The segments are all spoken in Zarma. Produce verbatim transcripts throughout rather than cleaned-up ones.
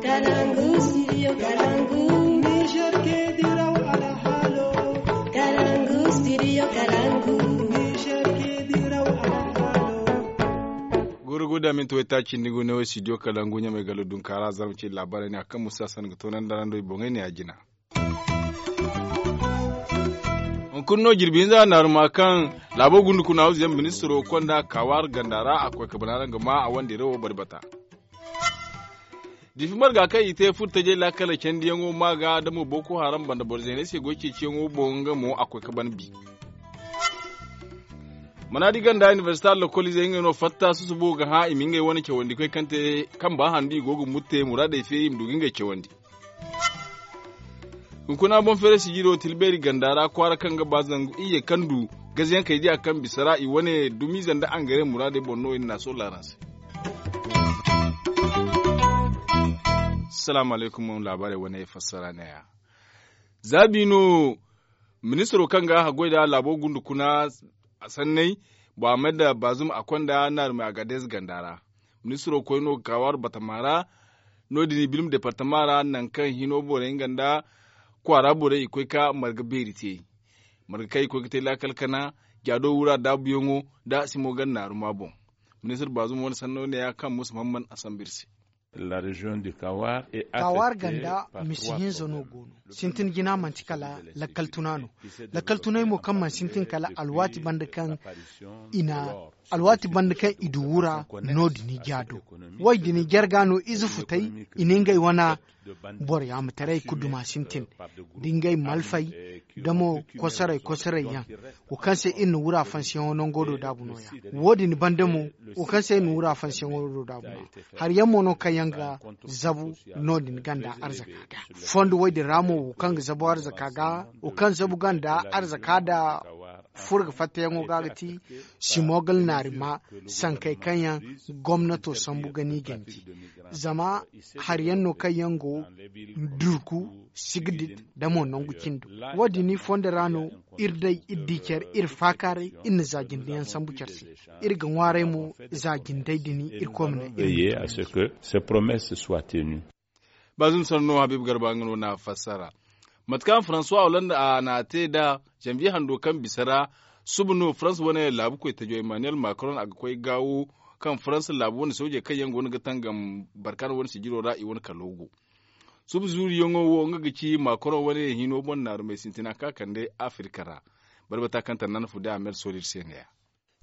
Kalangu, studio Kalangu. Niger ke diraw alhalo. Kalangu, studio Kalangu. Niger ke diraw alhalo. Gurguda minti way taaci nda gu ne wo studio Kalangu ɲamay galo dunkaara zarma ce laabaarey ne a kaŋ musa san ga toonandi ra nda i boŋey ne a jina. Hunkuna no jirbi hinza naaruma kaŋ laabo gundu kuna hawzu yaŋ ministiro konda kaawaari ganda ra a koy ka bana ra nga ma a wandira wo bari bata. Diifi marga kaŋ i te furo tajey laakala candiyaŋo ma ga damo boko haram banda boro zeeney se goy ceeciyaŋo boŋ nga mo a koy ka ban bi. Manaadi ganda inibersita lokoliizey ngey no fatta susubo ga hã i ma ngey wane cawandikoy kaŋ te kaŋ ba handu i go ga mutte muraadey feeri i ma du ga ngey cawandi. Hunkuna boŋ feeray sijiro tilbeeri ganda ra kwaara kaŋ ga ba zangu iyye kaŋ du gaziyaŋ kay diya kaŋ bisa ra i wane dumiize nda angare muraadey boŋ no i na naasoo laaran se. Salaamu alaykum laabaarey wane fassara neeya. Zaabi no ministiro kaŋ ga haggoy nda laabo gundu kuna sanney, bohammed baazum a konda naarumey agadez ganda ra. Ministiro koy no ga kaawaari batama ra. No- din i bilma departama ra nangu kaŋ hino borey nga nda kwaara borey i koy ka marga beeri te. Marga kaŋ i koy ga te laakal kana jaado wura daabuyaŋo nda simo ganda naaruma boŋ. Ministir baazum wane sanno neeya kaŋ musa mamman a samba iri se. Kaawaari ganda misi hinza no go no. Sintin jina manti kala lakkal tuna no. Lakkal tunay mo kaŋ mana sintin kala alwaati banda kaŋ i na alwaati banda kaŋ i du wura no- din i jaado. Wo- din i jarga no ize futay i na ngey wana boro yaamataray ga duma sintin da ngey malfay da mo kosoray kosoray yaŋ. Wo kaŋ se iri na wura fansiyaŋo nango do daabu nooya. Wo- din banda mo wo kaŋ se iri na wura fansiyaŋo do daabu nooya. Hari yaŋ mo no kaŋ yaŋ ga zabu no- din ganda arzaka ga fondo wo- din ra mo wo kaŋ ga zabu arzaka ga wo kaŋ zabu ganda arzaka da furo ga fattayaŋo ga ga ti simogal naari ma sankey kaŋ yaŋ gomnato sambu ga ni ganji. Zama hari yaŋ no kaŋ yaŋ go durku sigdit da mo nangu cindo. Wo- din fondo ra no iri day iri di care iri faakaaray iri na za jinde yaŋ sambu care se. Iri ga ŋwaaray mo za jindey din iri koy ma naŋ iri ma tun. Baazum sanno habiibu garba nga no na fassara. Mate kaŋ faransuwa hollande a na a te nd'a zanviye hando kaŋ bisa ra suba no faransa wane laabu koytajo emmanuel macron a ga koy gaawo kaŋ faransa laabu wane soojey kaŋ yaŋ go no ga tangam barkaana wane sijiro ra i wane kalo go. Suba zuuriyaŋo wo nga ga ci macron wane hino boŋ naarumey sintina kaŋ a kande afirka ra. Barbata kaŋ tannana fu day a mer sooli iri se neeya.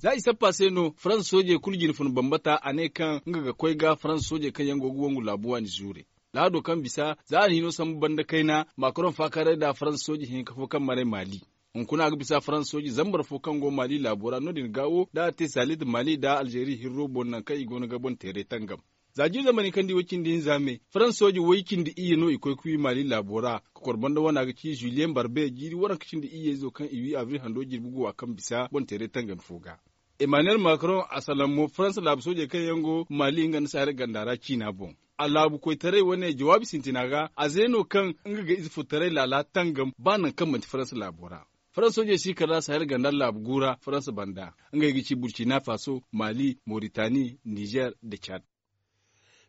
Za i sappa se no faransa soojey kulu jine fun bambata a ne kaŋ nga ga koy ga faransa soojey kaŋ yaŋ go ga wangu laabu waani zuure. Lahado kaŋ bisa za a na hino sambu banda kayna macron faakaaray nda faransa sooje hinka fo kaŋ maray mali. Hunkuna a ga bisa faransa sooje zambar fo kaŋ go mali laabo ra no- din gaawo da a te salit mali nda alzeeri hirro boŋ nangu kaŋ i go no ga boŋ teeray tangam. Za jiiri zamani kaŋ di way cindi hinza me faransa sooje way cindi iyye no i koy ga wi mali laabo ra. Ka kor banda wana ga ci juliyen barbe jiiri waranka cindi iyye izo kaŋ i wi abril hando jirbi guwa kaŋ bisa boŋ teeray tangam fo ga. Emmanuel macron a salaŋ mo faransa laabu soojey kaŋ yaŋ go mali nga nda sahel ganda ra ciina boŋ. A laabu koytaray wane jawaabi sintina ga a ze no kaŋ nga ga ize furtaray laala tangam ba nangu kaŋ manti faransa laabo ra. Faransa soojey si kala sahel ganda laabu gu ra faransa banda ngey ga ci burcina faso, mali, moritani, nizer nda cad.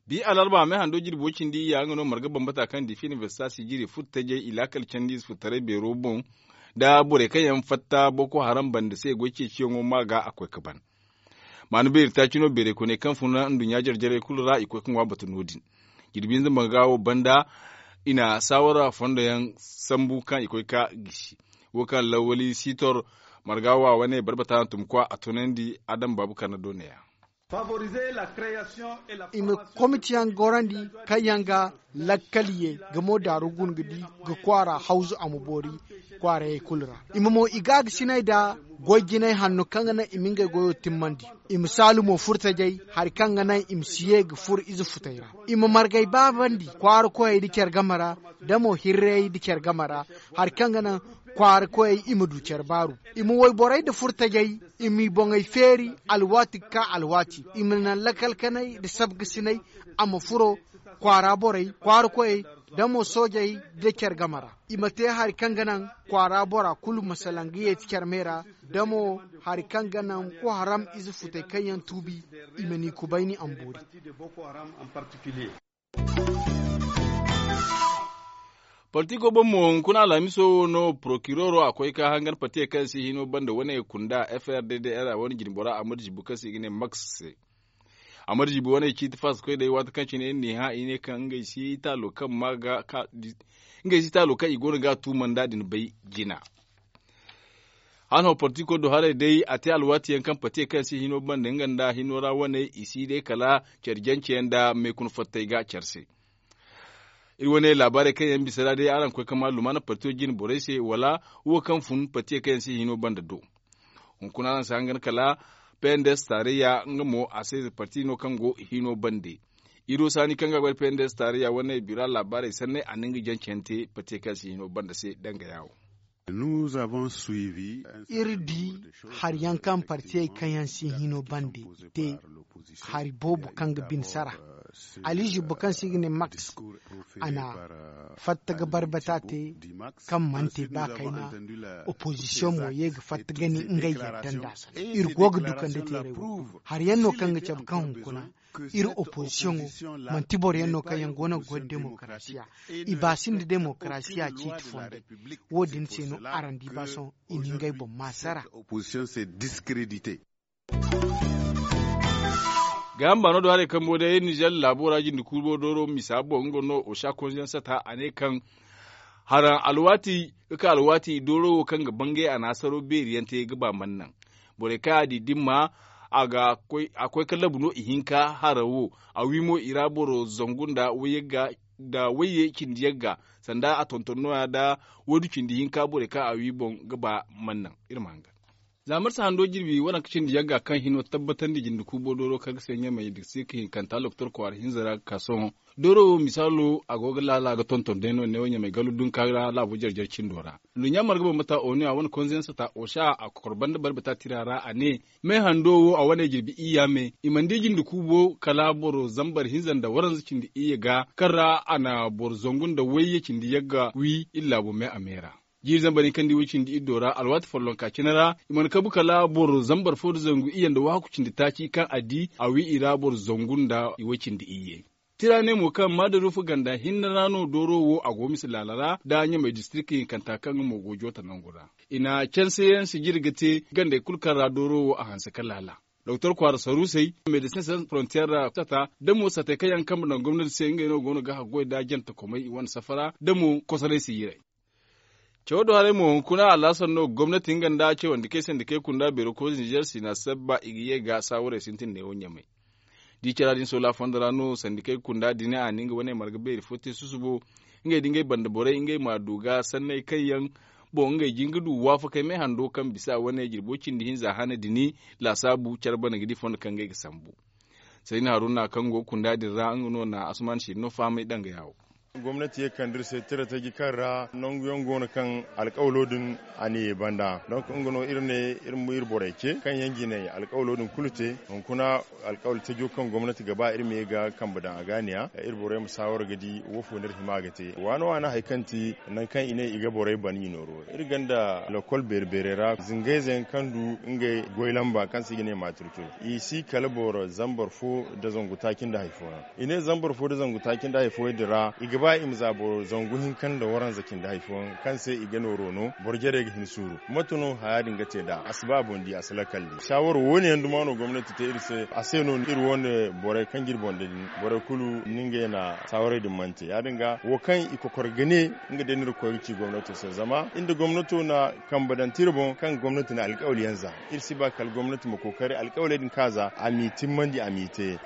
Bi alarba me hando jirbo cindi iyya nga no marga bambata kaŋ diifi inibersita sijiri furtajey i laakal candi ize furtaray beero boŋ nda borey kaŋ yaŋ fatta boko haram banda se goy ceeciyaŋo ma ga a koy ga ban. Maanu beeri taaci no beeray koyney kaŋ funa nduɲɲa jare jarey kulu ra i koy ga ŋwa batu no- din. Jirbi hinza marga wo banda i na saawara fondo yaŋ sambu kaŋ i koy ga gisi. Wo kaŋ lawali sitor marga wa wane barbata na tumkwa a tunandi adam baabu karna do neeya. I ma komitiyaŋ gorandi kaŋ yaŋ ga lakkal ye ga mo daaru guna ga di ga kwaara hawzu a ma boori kwaarayey kulu ra. I ma mo i gaagasiney nda goy jinay hanno kaŋ ga naŋ i ma ngey goyo timmandi. I ma saalu mo furtajey hari kaŋ ga naŋ i ma si ye ga furo ize futey ra. I ma margay baabandi kwaara koyey nda care game ra nda mo hirrayey nda care game ra hari kaŋ ga naŋ kwaara koyey i ma du care baaru. I ma wayborey nda furtajey i m'i boŋey feeri alwaati ga ka alwaati. I ma naŋ lakalkanay nda sabgasinay a ma furo kwaara borey kwaara koyey nda mo soojey nda care game ra. I ma te hari kaŋ ga naŋ kwaara bora kulu ma salaŋ ga yeeti care me ra nda mo hari kaŋ ga naŋ ko haram ize futey kaŋ yaŋ tuubi i ma n'i kubayni a ma boori. Partiko boŋ mo hunkuna alhamiso wo no porokiroro a koy ka hangan partiye kaŋ se hino banda wane kunda f r d d r a wane jinbora a marjibu kaŋ se i ga ne max se. A marjibu wane ciiti faasa koy day waati kaŋ cine iri n'i hã i ne kaŋ ngey si taalo kaŋ ma ga ka ngey si taalo kaŋ i go no ga a tuumanda din bay jina. Hano partiko do haray day a te alwaati yaŋ kaŋ partiye kaŋ se hino banda nga nda hino ra wane i si day kala care jance yaŋ nda meekuna fattey ga care se. Iri wane laabaarey kaŋ yaŋ bisa ra day araŋ koy ka ma lumaana partiyo jine borey se wala wo kaŋ fun partiye kaŋ yaŋ se hino banda do. Hunkuna araŋ si hangan kala pnds taarayya nga mo a se parti no kaŋ go hino bande. Iri wo saani kaŋ ga gwada pnds taarayya wane bira laabaarey sanney a na nga jancante partiye kaŋ se hino banda se danga yaawo. Iri di hari yaŋ kaŋ partiyey kaŋ yaŋ si hino bande te hari boobo kaŋ ga bine sara. Ali zibbo kaŋ se i ga ne max a na fatta ga barbata te kaŋ mana te ba kayna. Opozisiyoŋ mo ye ga fatta ga ne ngey yadda nd'a sanda iri go ga dukandi teeray wo. Hari yaŋ no kaŋ ga cabe kaŋ hunkuna iri opozisiyoŋo manti boro yaŋ no kaŋ yaŋ go no ga goy da demokarasiya. I ba sinda demokarasiya ciiti fondey. Wo- din se no araŋ di ba sohõ i na ngey boŋ maasara. Gaaham baano do haray kambo day nizer laabo ra jinde kuubo dooro misa boŋ nga no osa konsiyaŋ sata a ne kaŋ haraŋ alwaati ga ka alwaati dooro wo kaŋ ga bangay a na hasaro beeri yaŋ te ga ba mana naŋ. Borey kaŋ a di dimma a koy ka labu no ihinka hara wo. A wi mo i ra boro zangu nda wayye cindi yagga sanda a tonton no- ya nda waydu cindi hinka borey kaŋ a wi boŋ ga ba mana naŋ. Iri ma hangan za marsa hando jirbi waranka cindi yagga kaŋ hino tabbatandi jinde kuubo dooro kaŋ ga se ɲamey da si ga hinkanta lokotor kwaara hinza ra ga ka sohõ. Dooro wo misaalo a go ga laala ga tonton day no ne wo ɲamey gallu dunka ra laabo jare jare cindo ra. Nduɲɲa marga bambata onu a wane konzensata osa a kokor banda barbata tira ra a ne me hando wo a wane jirbi iyya me i mana di jinde kuubo kala boro zambar hinza nda waranza cindi iyye ga kaŋ ra a na boro zangu nda wayye cindi yagga wi iri laabo me a me ra. Jiiri zambar hinka nda iway cindi iddo ra alwaati follonka cine ra i mana kabu kala boro zambar fo nda zangu iyye nda waaku cindi taaci kaŋ a di a wi i ra boro zangu nda iway cindi iyye. Tira ne mo kaŋ maadaruufu ganda hinne ra no dooro wo a go mise laala ra nda ɲamey distirik hinkanta kaŋ nga mo go joota nangu ra. I na canse yaŋ sijiri ga te gandey kulu kaŋ ra dooro wo a hanse ka laala. Doktor kwaara saruusey medecin sans frontier ra sata da mo satey kaŋ yaŋ kambe naŋ gomnati se ngey no go no ga haggoy nda jantakomey i wane safara da mo kosoray sijiray. Cawo do haray mo hunkuna alhasan no gomnati nga nda cawandikey sandikey kunda beero koy nizer sina sabba i ga ye ga saawarey sintin neewo ɲamey. Da i cara din soola fondo ra no sandikey kunda din a na nga wane marga beeri fo te susubo. Ngey da ngey banda borey ngey ma du ga sanney kaŋ yaŋ boŋ ngey jin ga du waafakey me hando kaŋ bisa wane jirbo cindi hinza hane din laasaabu care bana ga di fondo kaŋ ngey ga sambu. Sayni haruna kaŋ go kunda din ra nga no na asuman siri no fahamay danga yaawo. Gomnati ye kande iri se tira taji kaŋ ra nangu yaŋ go no kaŋ alkawalo din a na ye banda donk nga no iri ne iri ma iri borey ce kaŋ yaŋ jinay alkawalo din kulu te. Hunkuna alkawali tajo kaŋ gomnati ga ba iri ma ye ga kambe daŋ a ga a ne ya iri borey ma saawara ga di woofo no iri hima ga te waana waana hari kaŋ ti nangu kaŋ i ne i ga borey ban i nooro iri gonda lokol beeri beerey ra zingayze yaŋ kaŋ du ngey goy lamba kaŋ se i ga ne matrikil i si kala boro zambar fo nda zangu taaci nda hari fooyaŋ. I ne zambar fo nda zangu taaci nda hari fooyaŋ din ra i ga ba i ma za boro zangu hinka nda waranza cindi hari fooyaŋ kaŋ se i ga nooro no boro jarey ga hin suuru. Mate no haya din ga te nd'a a si ba a boŋ di a si lakkal di saawaro wo- ne yaŋ duma no gomnati te iri se a se no iri wo- ne borey kaŋ ga iri boŋ da din borey kulu ni ngey na saawarey din mana te ya- din ga wo kaŋ i kokor ga ne nga day no iri ga koy ga ci gomnato se zama iri nda gomnato na kambe daŋ tira boŋ kaŋ gomnati na alkawali yaŋ za. Iri si ba kala gomnati ma kookari alkawaley din kaŋ a za a m'i timmandi a m'i te.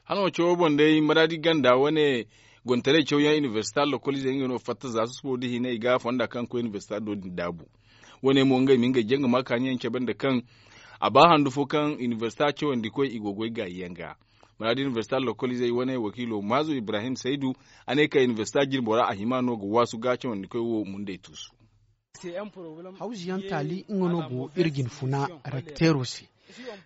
Hala wo cawo boŋ day maraadi ganda wane gontaray cawyaŋ inibersita lokolize nga no fatta za susubo da hina i ga fonda kaŋ koy inibersita do din daabu. Wane mo ngey ma ngey jaŋ ga ma kaani yaŋ cabe nda kaŋ a ba handu fo kaŋ inibersita cawandi koy i go goy gaayi yaŋ ga. Maraadi inibersita lokolize wane wakiilo maazo ibrahim saydu a ne ka inibersita jirbo ra a hima no ga waasu ga cawandi koy wo mundey tuusu. Hawzu yaŋ taali nga no go iri jine funa rakteero se.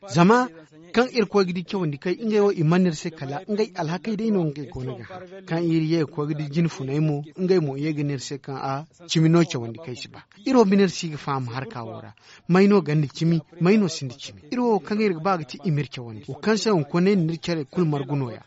Zama kaŋ iri koy ga di cawandi kay ngey wo i mana iri se kala ngey alhakey day no ngey go no ga har. Kaŋ iri ye ga koy ga di jine funey mo, ngey mo i ye ga ne iri se kaŋ a cimi no cawandi kay si ba. Iri wo bine iri si ga faham harka wo ra. May no gonda cimi? May no sinda cimi? Iri wo kaŋ iri ga ba ga ti i ma iri cawandi wo kaŋ se hunkuna iri na iri care kulu margu no- ya.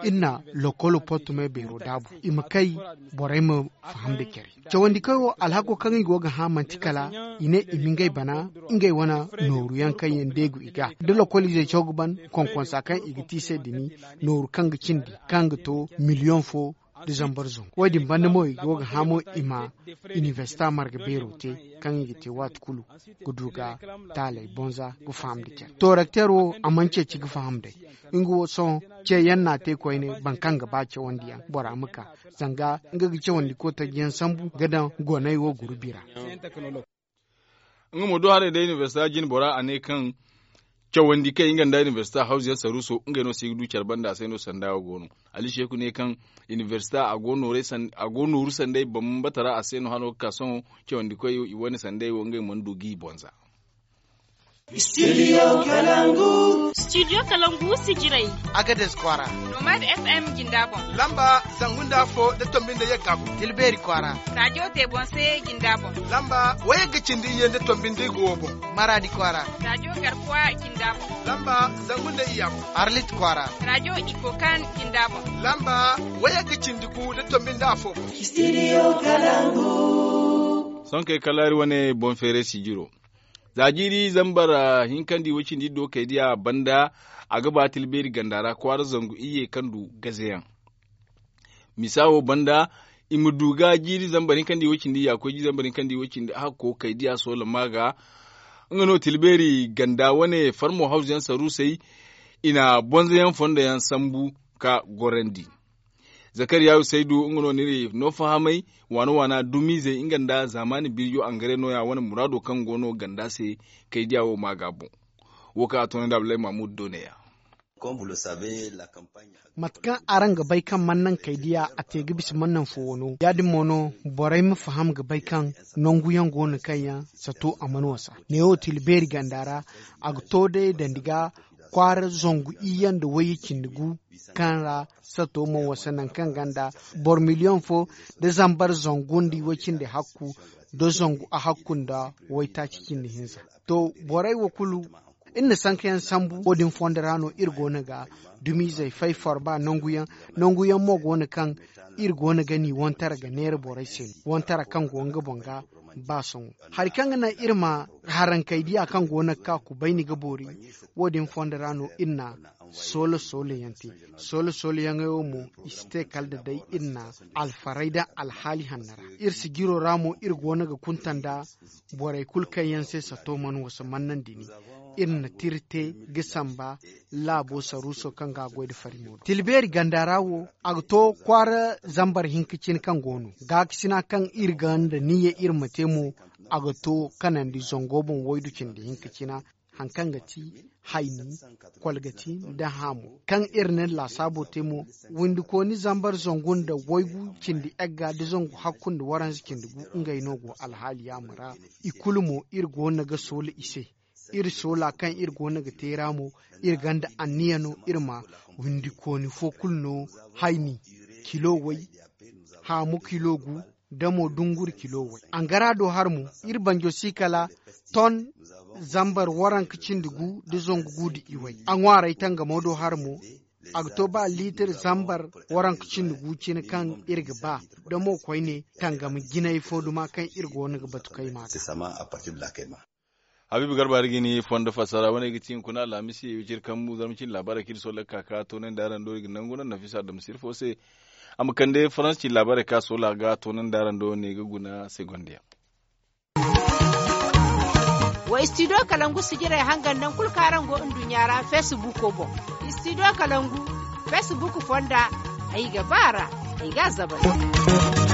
Iri na lokolo portumey beero daabu i ma kay, borey ma faham nda care. Cawandi kaŋ wo alhako kaŋ i go ga hã manti kala i ne i ma ngey bana ngey wane nooru yaŋ kaŋ yaŋ deegu i ga da lokoliizey caw ga ban konkonsa kaŋ i ga te i se dini, nooru kaŋ ga cindi kaŋ ga to miliyoŋ fo nda zambar zangu. Wo- din banda mo i go ga hã mo i ma inibersita marga beero te kaŋ i ga te waati kulu ga du ga taaley bonza ga faham nda care. Torakteer wo a mana ceeci ga faham day. Nga wo sohõ ceeyaŋ no a te koyne boro kaŋ ga ba cawandi yaŋ bora ma ka zanga nga ga cawandi kootaji yaŋ sambu ga daŋ goney wo gurubi ra. Nga mo do haray day inibersita jine bora a ne kaŋ cawandi kaŋ nga nda inibersita hawzu yaŋ saruuso ngey no se ga du care banda a se no sanda wo go no. Ali seeku ne kaŋ inibersita a go nooru sanday bambata ra a se no hano ga ka sohõ cawandi koy i wane sanday wo ngey mana du ga i bonza. Studio kalangu. Studio kalangu sijiray. Agades kwaara. Nomad fm jinda boŋ. Lamba zangu nda afo nda tombi nda yagga boŋ. Tilbeeri kwaara. Radiyo te boŋ se jinda boŋ. Lamba wayagga cindi iyye nda tombi nda igo wo boŋ. Maraadi kwaara. Radiyo garkuwa jinda boŋ. Lamba zangu nda iyya boŋ. Arlit kwaara. Radiyo ikokan jinda boŋ. Lamba wayagga cindi gu nda tombi nda afo boŋ. Studio kalangu. Sohõ kay kala iri wane boŋ feeray sijiro. Za jiiri zambar hinkandi way cindi iddo kay diya banda a ga ba tilbeeri ganda ra kwaara zangu iyye kaŋ du gazeyaŋ. Misa wo banda i ma du ga jiiri zambar hinkandi way cindi ya koy jiiri zambar hinkandi way cindi a hakko kay diya soola ma ga. Nga no tilbeeri ganda wane farmo hawzu yaŋ saruusey i na bonza yaŋ fondo yaŋ sambu ka gorandi. Zakariya usaydu nga no n'iri no fahamay waana waana dumiizey nga nda zaamaani birjo angare nooya wane muraado kaŋ go no ganda se kay diya wo ma ga boŋ. Wo kaŋ a toonandi abdullahi mahmud do ne- ya. Mate kaŋ araŋ ga bay kaŋ mana naŋ kay diya a te ga bisa mana naŋ fo wano ya- din mo no borey ma faham ga bay kaŋ nangu yaŋ go no kaŋ yaŋ sato a mana wasa. Neewo tila beeri ganda ra a ga to day dandi ga kwaara zangu iyye nda wayye cindi gu kaŋ ra sato mana wasa nangu kaŋ ganda boro miliyoŋ fo nda zambar zangu nda iway cindi hakku nda zangu ahakku nda waytaaci cindi hinza. To borey wo kulu iri na sanka yaŋ sambu wo- din fondo ra no iri go no ga dumiizey fay forba nangu yaŋ. Nangu yaŋ mo go no kaŋ iri go no ga ni wantara ga neera borey se no wantara kaŋ go nga boŋ ga ba sohõ hari kaŋ ga naŋ iri ma harankey diya kaŋ go no ga ka kubayni ga boori. Wo- din fondo ra no iri na soola soola yaŋ te. Soola soola yaŋey wo mo i si te kala da day iri na alfaray daŋ alhaali hanno ra. Iri sijiro ra mo iri go no ga kunta nda borey kulu kaŋ yaŋ se sato mana wasa mana naŋ dini. Iri na tira te ga samba laabo saruuso kaŋ ga a goy nda farimo din tila beeri ganda ra wo a ga to kwaara zambar hinka cine kaŋ go no gaakasina kaŋ iri ga nda niyya iri ma te mo. A ga to kanandi zango boŋ waydu cindi hinka cina hari kaŋ ga ti hayni kolgati nda haamo kaŋ iri na iri laasaabo te mo. Windikooni zambar zangu nda waygu cindi egga nda zangu hakku nda waranza cindi gu ngey no go alhaali yaamo ra. I kulu mo iri go no ga soola i se. Iri soola kaŋ iri go no ga te ra mo iri gonda anniya no iri ma windikooni fo kulu no hayni kilo way haamu kilo gu nda mo dunguri kilo way angara do har mo. Iri banjo si kala ton zambar waranka cindi gu nda zangu gu nda iway a ŋwaaray tangamo do har mo. A ga to ba liitir zambar waranka cindi gu cine kaŋ iri ga ba da mo koyne tangam jinay fo duma kaŋ iri go no ga batu kay ma ga. Habiibu garba hari ga ni fondo fassara wane ga ti hunkuna alhamisi wiciri kambu zarma cindi laabaarey kaŋ iri sohõ lakka ka toonandi araŋ do iri ga nangu naŋ nafisa adama sirfo se. A ma kande faransa cindi laabaarey kaŋ a sohõ a ga toonandi araŋ do ne ga guna segondiyaŋ. Wa studio kalangu sijirey hangan naŋ kulu kaŋ araŋ go nduɲɲa ra facebook boŋ. Studio kalangu facebook fonda ay ga ba ra ay ga a zabari.